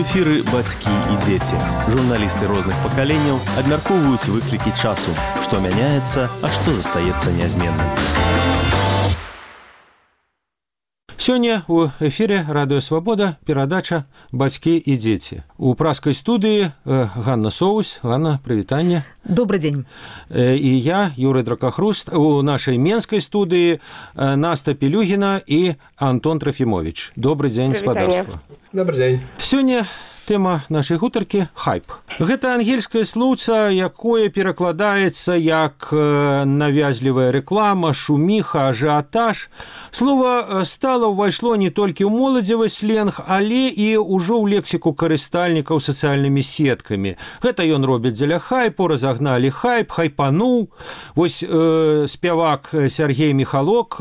эфіры бацькі і дзеці. Журналісты розных пакаленняў абмяркоўваюць выклікі часу, што мяняецца, а што застаецца нязменным. Сёння у эфире Радио Свобода перадача «Бацькі і дзеці». У праскай студыі Ганна Соус. Ганна, прывітанне. Добрый день. И я, Юрий Дракохруст. У нашей менской студии Наста Пелюгина и Антон Трофимович. Добрый день, спадарства. Добрый день. Сёння тема нашай гутаркі – хайп. Гэта ангельскае слоўца, якое перакладаецца як навязлівая рэклама, шуміха, ажыятаж. Слова стала ўвайшло не толькі ў моладзевы сленг, але і ўжо ў лексіку карыстальнікаў сацыяльнымі сеткамі. Гэта ён робіць дзеля хайпу, разагналі хайп, хайпануў. Вось спявак Сергей Михалок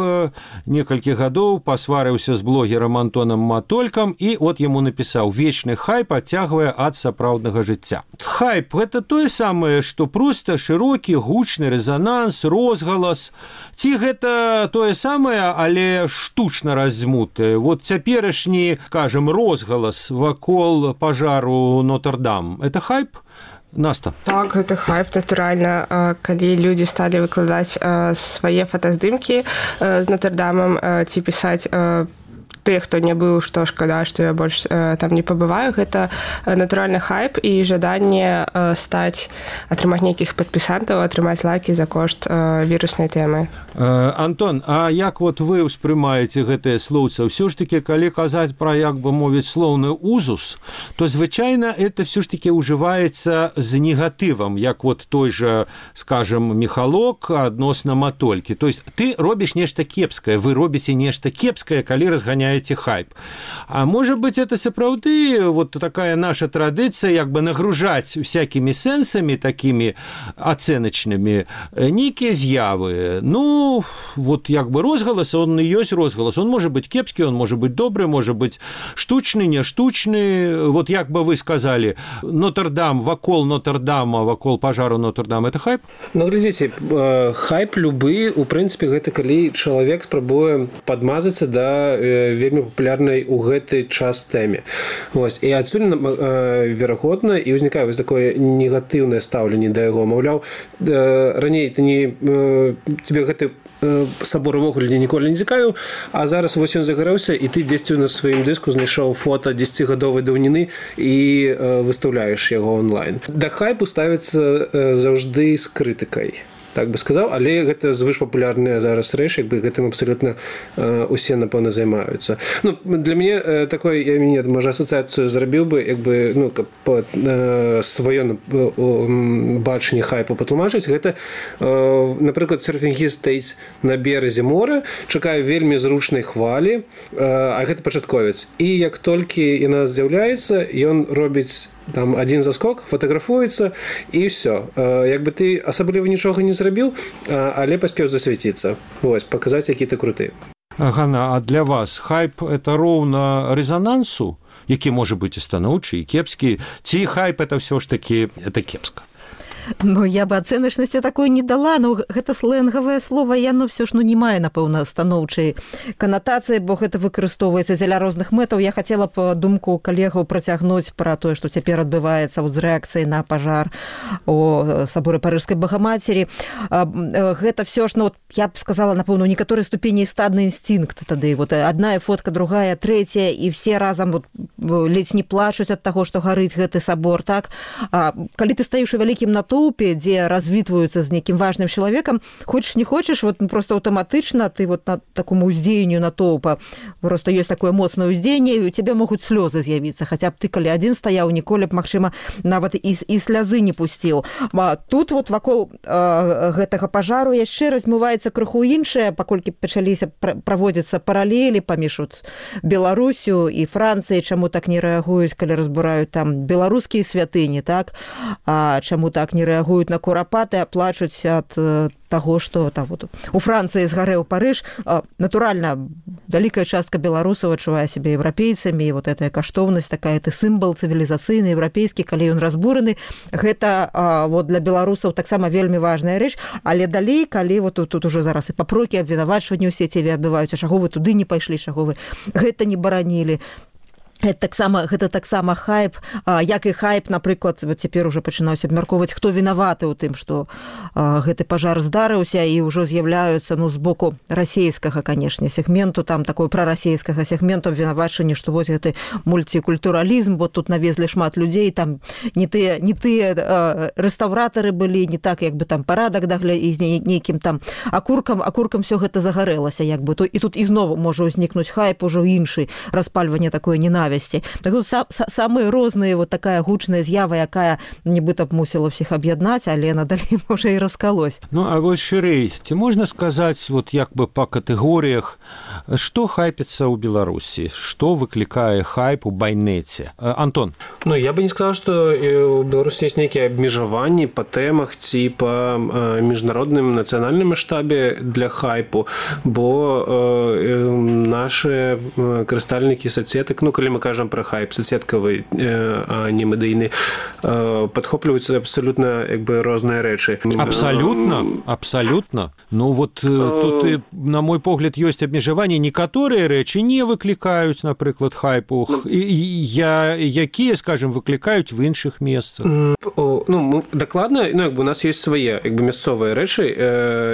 некалькі гадоў пасварыўся з блогерам Антонам Матолькам і от яму напісаў: «Вечны хайп адцягвае ад сапраўднага жыцця». Хайп – гэта тое самае, што проста шырокі, гучны рэзананс, розгалас. Ці гэта тое самае, але штучна раздзьмутае? Вот цяперашні, скажем, розгалас вакол пажару Нотр-Дам – это хайп? Наста. Так, гэта хайп, натуральна. Калі людзі сталі выкладаць свае фотаздымкі з Нотр-Дамам ці пісаць тыя, хто не быў, што шкада, што я больш там не пабываю, гэта натуральны хайп і жаданне атрымаць нейкіх падпісантаў, атрымаць лайкі за кошт віруснай тэмы. Антон, а як вот вы ўспрымаеце гэтыя слоўца? Ўсё ж такі, калі казаць пра, як бы мовіць, слоўны узус, то звычайна это ўсё ж такі ўжываецца з негатывам, як вот той жа, скажем, Михалок адносна Матолькі. То есть ты робіш нешта кепскае, вы робіце нешта кепскае, калі разганяеце хайп. А может быть, это сапраўды вот такая наша традыцыя, як бы нагружаць всякими сэнсамі такими ацэначнымі нейкія з'явы. Ну, вот як бы розгалас, он і ёсць розгалас. Он может быть кепскі, он может быть добры, может быть штучны, не штучны. Вот як бы вы сказали, Нотр-Дам, вакол Нотр-Дама, вакол пажару Нотр-Дам, это хайп? Ну, глядзіце, хайп любы, у прынцыпе, гэта калі чалавек спрабуе падмазацца да вельмі папулярнай у гэты час тэме. Вось. І адсюль, верагодна, і ўзнікае вось такое негатыўнае стаўленне да яго. Маўляў, раней ты не... Тебе гэты сабор увогуле ніколі не цікавіў, а зараз вось ён загарэўся, і ты дзесьці на сваім дыску знайшоў фота 10-гадовай даўніны і выстаўляеш яго онлайн. Да хайпу ставіцца заўжды з крытыкай. Так бы сказаў, але гэта звышпапулярная зараз рэч, як бы гэтым абсалютна усе, напэўна, займаюцца. Ну, для мяне такое, я можа, асацыяцыю зрабіў бы, як бы, ну, каб сваё бачанне хайпу патлумачыць, гэта, напрыклад, серфінгіст стаіць на беразе мора, чакае вельмі зручнай хвалі, а гэта пачатковец. І як толькі яна з'яўляецца, ён робіць там один заскок, фотаграфуецца і ўсё. Як бы ты асабліва нічога не зрабіў, але паспеў засвяціцца. Вось, паказаць, які ты круты. Ганна, а для вас хайп – это роўна рэзанансу, які можа быць і станоўчы, і кепскі, ці хайп – это ўсё ж такі, это кепска? Ну, я бы ацэначнасці такой не дала, но гэта сленгавае слова, яно все ж не мае, напэўна, станоўчай канатацыі, бо гэта выкарыстоўваецца дзеля розных мэтаў. Я хацела б думку калегаў працягнуць пра тое, што цяпер адбываецца з рэакцыяй на пажар у саборы Парыжскай Багамацері. Гэта все ж, ну, я б сказала, напэўна, у некаторай ступені стадны інстынкт тады. Вот адна фотка, другая, трэцяя, і все разам вот ледзь не плачуць ад таго, што гарыць гэты сабор, так? Калі ты стаіш у вялікім натоўпе, дзе развітваюцца з нейкім важным чалавекам, хочаш не хочаш, вот просто аўтаматычна ты вот на такому ўздзеянню натоўпа, просто ёсць такое моцнае ўздзеянне, і у цябе могуць слёзы з'явіцца, хаця б ты, калі адзін стаяў, ніколі б, магчыма, нават і слязы не пусціў. Тут вот вакол гэтага пажару яшчэ размываецца крыху іншае, паколькі пачаліся праводзіцца паралелі паміж Беларусю і Францыяй, чаму так не рэагуюць, калі разбураюць там беларускія святыні, так? Чаму так не рэагуюць на курапаты, а плачуць ад таго, што там вот у Францыі згарэў Парыж. Натуральна, вялікая частка беларусаў адчувае сябе еўрапейцамі, і вот гэтая каштоўнасць, такая ты сімвал цывілізацыйны, еўрапейскі, калі ён разбураны, гэта вот для беларусаў таксама вельмі важная рэч, але далей, калі вот тут уже зараз і папрокі, абвінавачванні ў сеціве адбываюцца, чаго вы туды не пайшлі, чаго вы гэта не баранілі. Гэта таксама хайп, як і хайп, напрыклад, цяпер уже пачынаюць абмяркоўваць, хто вінаваты ў тым, што гэты пажар здарыўся, і ўжо з'яўляюцца з боку расійскага, канешне, сегменту, там такой прарасійскага сегменту абвінавачванне, што вось гэты мультикультуралізм, бо тут навезлі шмат людзей, там не тыя рэстаўратары былі, не так як бы там парадак і з нейкім там акуркам все гэта загарэлася, як бы, і тут ізноў можа ўзнікнуць хайп ужо іншы, распальванне такое ненавісці. Так тут самыя розныя, вот такая гучная з'ява, якая нібыта б мусіла ўсіх аб'яднаць, але надалей можа і раскалось. Ну, а вось шырэй, ці можна сказаць, вот як бы па катэгорыях, што хайпіцца ў Беларусі, што выклікае хайп у байнеце? Антон? Ну, я бы не сказал, што у Беларусі ёсць нейкія абмежаванні па тэмах ці па міжнародным нацыянальным маштабе для хайпу, бо нашы карыстальнікі соцсетак, ну, калі мы кажам про хайп соцсеткавы, а не медыйны, падхопліваюцца абсалютна як бы розныя рэчы. Абсалютна. Ну вот тут, на мой погляд, ёсць абмежаванні. Некаторыя рэчы не выклікаюць, напрыклад, хайпу, якія, скажем, выклікаюць в іншых месцах. Ну, дакладна, ну, як бы у нас ёсць свае як бы мясцовыя рэчы,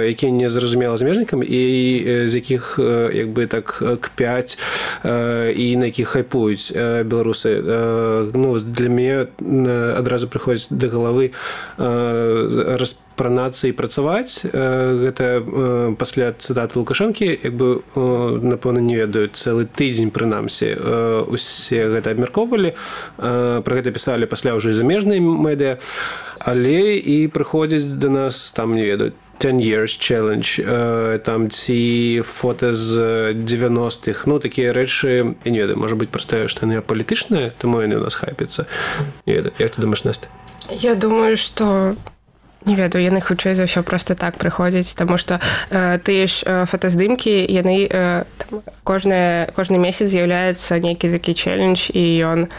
якія не зразумела замежнікам, і з якіх як бы так кпяць і на якіх хайпуюць беларусы. Ну, для мяне адразу прыходзіць да галавы распранацца і працаваць. Гэта пасля цытаты Лукашэнкі, як бы, напэўна, не ведаю, цэлы тыдзень, прынамсі, усе гэта абмяркоўвалі, пра гэта пісалі пасля ўжо і замежныя медыа, але і прыходзяць да нас, там, не ведаю, 10 years challenge, там ці фота з 90-х, ну, такія рэчы, я не ведаю, можа быць проста, што яны апалітычныя, таму яны у нас хайпяцца. Не ведаю, як ты думаеш, Настя? Я думаю, што не ведаю, яны хутчэй за ўсё проста так прыходзяць, таму што тыя ж фотаздымкі, яны кожны месяц з'яўляецца нейкі такі чэлендж, і ён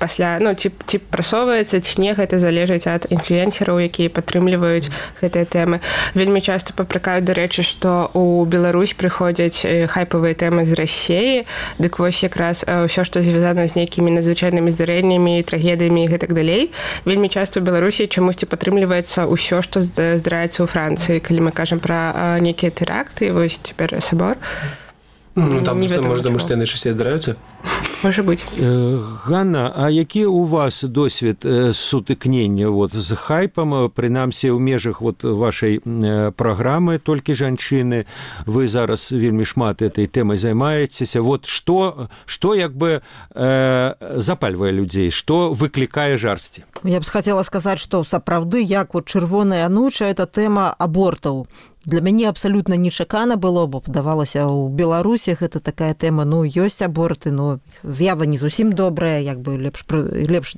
пасля, ну, ці прасоўваецца, ці не, гэта залежыць ад інфлюэнсераў, якія падтрымліваюць гэтыя тэмы. Вельмі часта папракаюць, дарэчы, што ў Беларусь прыходзяць хайпавыя тэмы з Расіі, дык вось якраз ўсё, што звязана з нейкімі надзвычайнымі здарэннямі, трагедыямі і гэтак далей. Вельмі часта ў Беларусі чамусьці падтрымліваецца ўсё, што здараецца ў Францыі, калі мы кажам пра нейкія тэракты, вось цяпер сабор. Ну, там просто, может, думаю, што яны часцей здараюцца? Можа быць. Ганна, а які у вас досвед сутыкнення вот з хайпам, прынамсі ў межах вот вашай праграмы «Толькі жанчыны»? Вы зараз вельмі шмат этой тэмай займаецеся. Вот што як бы запальвае людзей, што выклікае жарсці? Я б хацела сказаць, што сапраўды, як вот чырвоная ануча, это тэма абортаў. Для мяне абсалютна нечакана было, бо падавалася, у Беларусі гэта такая тэма, ну, ёсць аборты, ну, з'ява не зусім добрая, як бы лепш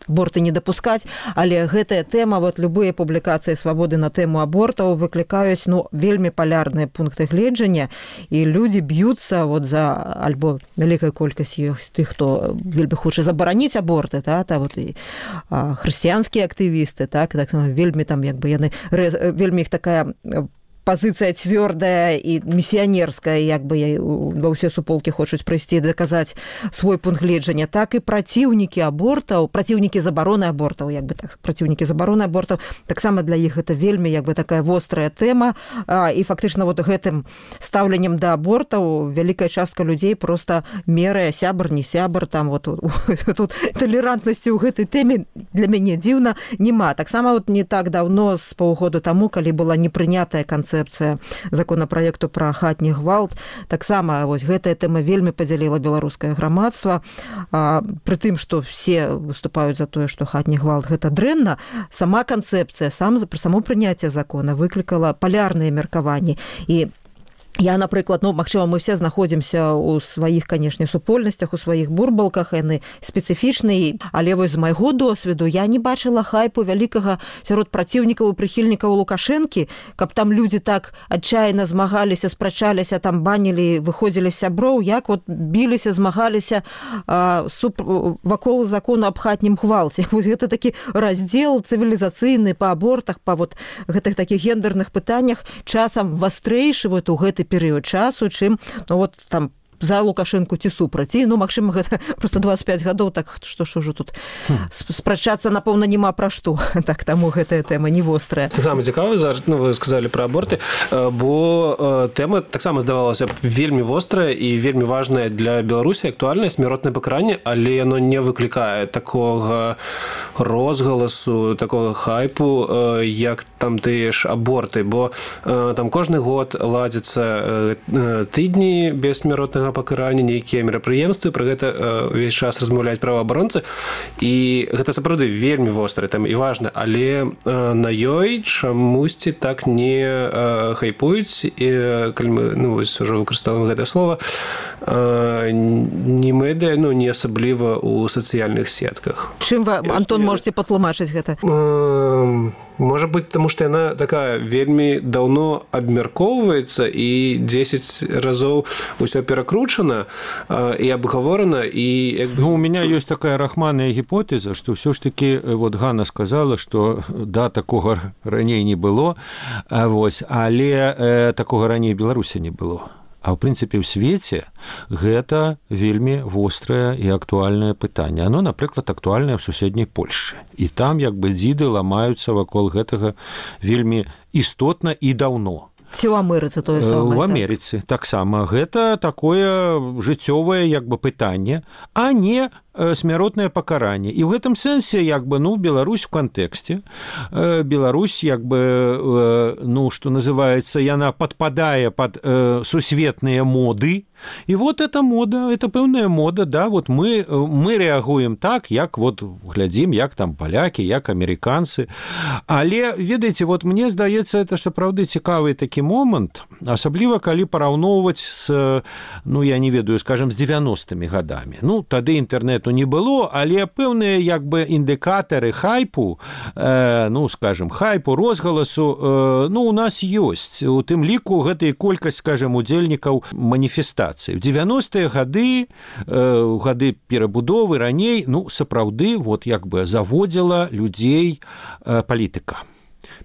аборты не дапускаць, але гэтая тэма, вот любыя публікацыі «Свабоды» на тэму абортаў выклікаюць, ну, вельмі палярныя пункты гледжання, і людзі б'юцца вот за, альбо вялікая колькасць ёсць тых, хто вельмі хоча забараніць аборты, вот і хрысціянскія актывісты, так вельмі там, як бы яны, вельмі іх такая пазіцыя цвёрдая і місіянерская, як бы ва ўсе суполкі хочуць прыйсці даказаць свой пункт гледжання, так і праціўнікі абортаў, праціўнікі забароны абортаў, як бы так, праціўнікі забароны абортаў, таксама для іх гэта вельмі як бы такая вострая тэма, і фактычна вот гэтым стаўленнем да абортаў вялікая частка людзей проста мерае сябар, не сябар, там вот тут талерантнасці ў гэтай тэме для мяне дзіўна няма. Таксама вот не так даўно, з паўгода таму, калі была непрынятая канцэпцыя законапраекту пра хатні гвалт, таксама вось гэтая тэма вельмі падзяліла беларускае грамадства. Пры тым, што все выступаюць за тое, што хатні гвалт гэта дрэнна, сама канцэпцыя, само прыняцце закона выклікала палярныя меркаванні. І я, напрыклад, ну, магчыма, мы все знаходзімся ў сваіх, канешне, супольнасцях, у сваіх бурбалках, яны спецыфічныя, але вось з майго досведу я не бачыла хайпу вялікага сярод праціўнікаў і прыхільнікаў Лукашэнкі, каб там людзі так адчайна змагаліся, спрачаліся, там банілі, выходзілі з сяброў, як вот біліся, змагаліся вакол закону аб хатнім гвалце. Вот гэта такі раздзел цывілізацыйны па абортах, па вот гэтых такіх гендерных пытаннях часам вастрэйшы вот у гэты перыяд часу, чым, ну, вот там за Лукашэнку ці супраць. І, ну, магчыма, гэта просто 25 гадоў, так што ж ужо тут спрачацца, напэўна, няма пра што. Так, таму гэтая тэма не вострая. Таксама цікава, зараз, ну, вы сказалі пра аборты, бо тэма таксама здавалася вельмі вострая і вельмі важная для Беларусі, актуальная, смяротнае пакаранне, але яно не выклікае такога розгаласу, такога хайпу, як там тыя ж аборты, бо там кожны год ладзяцца тыдні без смяротнага пакарання, нейкія мерапрыемствы, пра гэта ўвесь час размаўляюць праваабаронцы, і гэта сапраўды вельмі вострая тэма і важна, але на ёй чамусьці так не хайпуюць, і калі мы, ну, вось ужо выкарыстоўваем гэтае слова, не медыа, ну, не асабліва ў сацыяльных сетках. Чым вы, Антон, можете патлумачыць гэта? Можа быць, таму што яна такая вельмі даўно абмяркоўваецца і 10 разоў усё перакручана і абгаворана, і як бы... Ну, у меня ёсць такая рахманная гіпотэза, што ўсё ж такі, вот Ганна сказала, што да, такога раней не было, вось, але такога раней Беларусі не было. А ў прынцыпе ў свеце гэта вельмі вострае і актуальнае пытанне. Оно, напрыклад, актуальнае ў суседняй Польшчы. І там як бы дзіды ламаюцца вакол гэтага вельмі істотна і даўно. Ці ў Амерыцы тое самае? У Амерыцы таксама. Гэта такое жыццёвае як бы пытанне, а не смяротнае пакаранне. І ў гэтым сэнсе як бы, ну, Беларусь у кантэксце. Беларусь як бы, ну, што называецца, яна падпадае пад сусветныя моды. І вот эта мода, это пэўная мода, да, вот мы рэагуем так, як вот глядзім, як там палякі, як амерыканцы. Але, ведаеце, вот мне здаецца, это сапраўды цікавы такі момант, асабліва калі параўноўваць з, ну, я не ведаю, скажем, з 90-ми гадамі. Ну, тады інтэрнету не было, але пэўныя як бы індыкатары хайпу, ну, скажем, хайпу, розгаласу, ну, у нас ёсць. У тым ліку гэта і колькасць, скажем, удзельнікаў маніфестацыі. В 90-е гады, гады перабудовы раней, ну, сапраўды, вот як бы заводзіла людзей палітыка.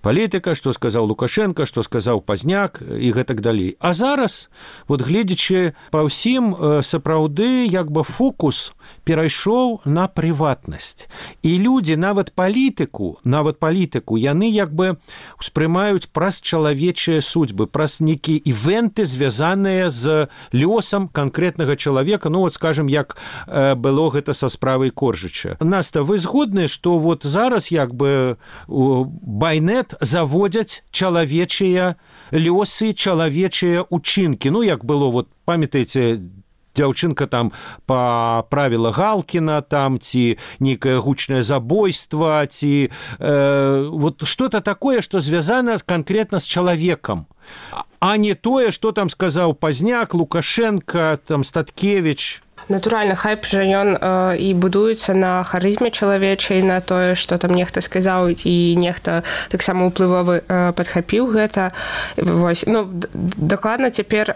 Палітыка, што сказаў Лукашенко, што сказаў Пазняк і гэтак далей. А зараз, вот гледзячы па ўсім, сапраўды як бы фокус перайшоў на прыватнасць. І людзі, нават палітыку, яны як бы успрымаюць праз чалавечыя судьбы, праз нейкія івенты, звязаныя з лёсам канкрэтнага чалавека, ну вот, скажем, як было гэта са справай Коржыча. Наста, вы згодны, што вот зараз як бы байнет заводзяць чалавечыя лёсы, чалавечыя учынкі. Ну, як было, вот, памятаеце, дзяўчынка там паправіла Галкіна, там, ці нейкае гучнае забойства, ці вот что-то такое, што звязана канкрэтна з чалавекам, а не тое, што там сказаў Пазняк, Лукашенко, там, Статкевіч. Натуральна, хайп жа ён і будуецца на харызме чалавечай, на тое, што там нехта сказаў і нехта таксама ўплывовы падхапіў гэта. Вось, ну, дакладна цяпер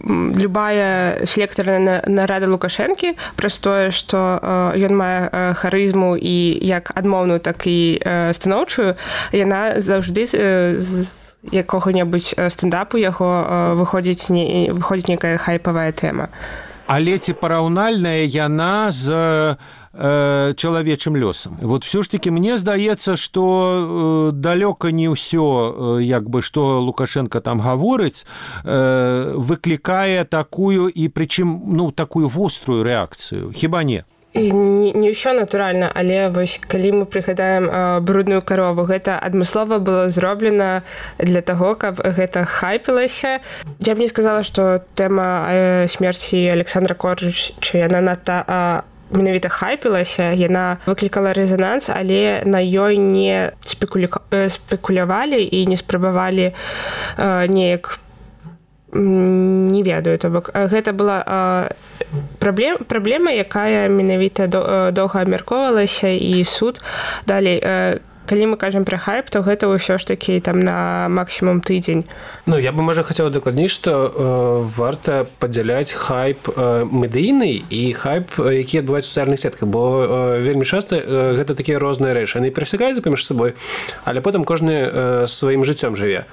любая селектарная нарада Лукашэнкі праз тое, што ён мае харызму і як адмоўную, так і станоўчую, яна заўжды з якога-небудзь стендапу яго выходзіць нейкая хайпавая тэма. Але ці параўнальная яна з чалавечым лёсам. Вот все ж таки мне здаецца, што далёка не ўсё, як бы, што Лукашенко там гаворыць, выклікае такую і прычым, ну, такую вострую рэакцыю. Хіба не? І не ўсё натуральна, але вось калі мы прыгадаем брудную карову, гэта адмыслова было зроблена для таго, каб гэта хайпілася. Я б не сказала, што тэма смерці Александра Коржыча, яна надта менавіта хайпілася, яна выклікала рэзананс, але на ёй не спекулявалі і не спрабавалі неяк, не ведаю, то бок гэта была праблема, якая менавіта доўга абмяркоўвалася, і суд далей. Калі мы кажам пра хайп, то гэта ўсё ж такі там на максімум тыдзень. Ну, я бы, можа, хацела дакладней, што варта падзяляць хайп медыйны і хайп, які адбываюць у сацыяльных сетках, бо вельмі часта гэта такія розныя рэчы. Яны перасякаюцца паміж сабой, але потым кожны сваім жыццём жыве.